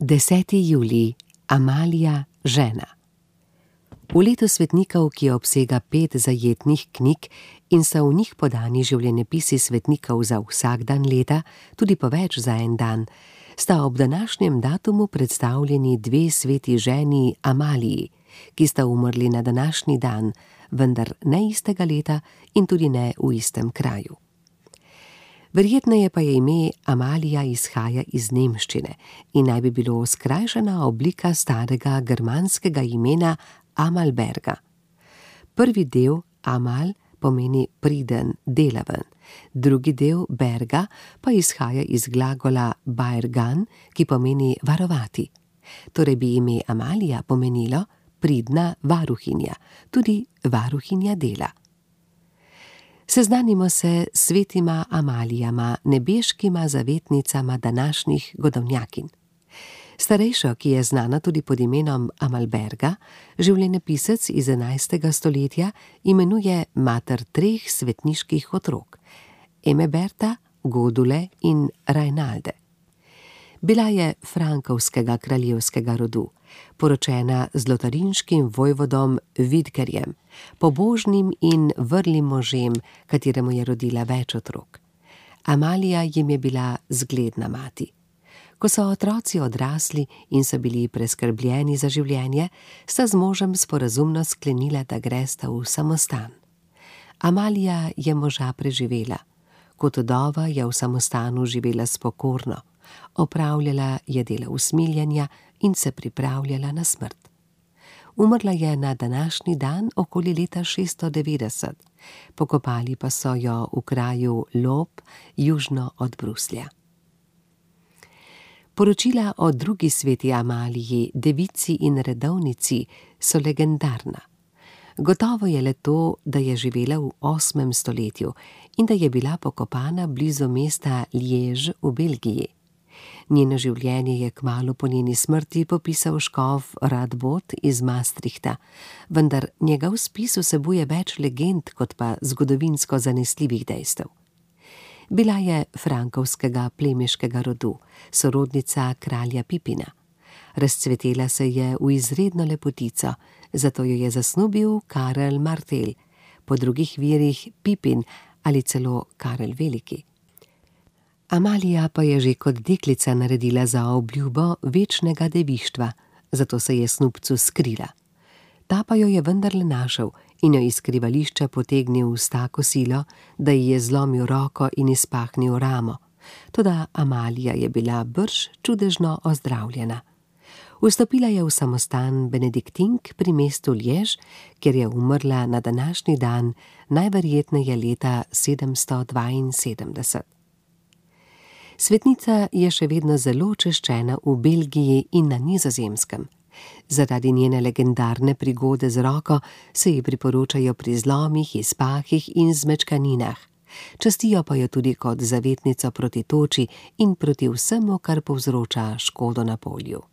10. julij. Amalija, žena. V letu svetnikov, ki obsega 5 zajetnih knjig in so v njih podani življenjepisi svetnikov za vsak dan leta, tudi po več za en dan, sta ob današnjem datumu predstavljeni 2 sveti ženi Amaliji, ki sta umrli na današnji dan, vendar ne istega leta in tudi ne v istem kraju. Verjetneje pa je ime Amalija izhaja iz nemščine in naj bi bilo skrajšana oblika starega germanskega imena Amalberga. Prvi del Amal pomeni priden, delaven, drugi del Berga pa izhaja iz glagola baergan, ki pomeni varovati. Torej bi ime Amalija pomenilo pridna varuhinja, tudi varuhinja dela. Seznanimo se s svetima Amalijama, nebeškima zavetnicama današnjih godovnjakinj. Starejšo, ki je znana tudi pod imenom Amalberga, življenjepisec iz 11. stoletja imenuje mater 3 svetniških otrok, Emeberta, Godule in Rajnalde. Bila je frankovskega kraljevskega rodu, poročena z lotarinškim vojvodom Vidgerjem, pobožnim in vrlim možem, kateremu je rodila več otrok. Amalija jim je bila zgledna mati. Ko so otroci odrasli in so bili preskrbljeni za življenje, sta z možem sporazumno sklenila, da gresta v samostan. Amalija je moža preživela. Kot vdova je v samostanu živela spokorno, opravljala je dela usmiljenja in se pripravljala na smrt. Umrla je na današnji dan okoli leta 690, pokopali pa so jo v kraju Lob, južno od Bruslja. Poročila o drugi sveti Amaliji, devici in redovnici, so legendarna. Gotovo je le to, da je živela v 8. stoletju in da je bila pokopana blizu mesta Liège v Belgiji. Njeno življenje je kmalu po njeni smrti popisal škof Radbot iz Maastrichta, vendar njegov spis vsebuje več legend kot pa zgodovinsko zanesljivih dejstev. Bila je frankovskega plemiškega rodu, sorodnica kralja Pipina. Razcvetela se je v izredno lepotico, zato jo je zasnubil Karel Martel, po drugih virih Pipin ali celo Karel Veliki. Amalija pa je že kot deklica naredila za obljubo večnega devištva, zato se je snubcu skrila. Ta pa jo je vendarle našel in jo iz skrivališča potegnil s tako silo, da ji je zlomil roko in izpahnil ramo. Toda Amalija je bila brž čudežno ozdravljena. Vstopila je v samostan benediktink pri mestu Liège, kjer je umrla na današnji dan, najverjetneje leta 772. Svetnica je še vedno zelo češčena v Belgiji in na Nizozemskem. Zaradi njene legendarne prigode z roko se ji priporočajo pri zlomih, izpahih in zmečkaninah. Častijo pa jo tudi kot zavetnico proti toči in proti vsemu, kar povzroča škodo na polju.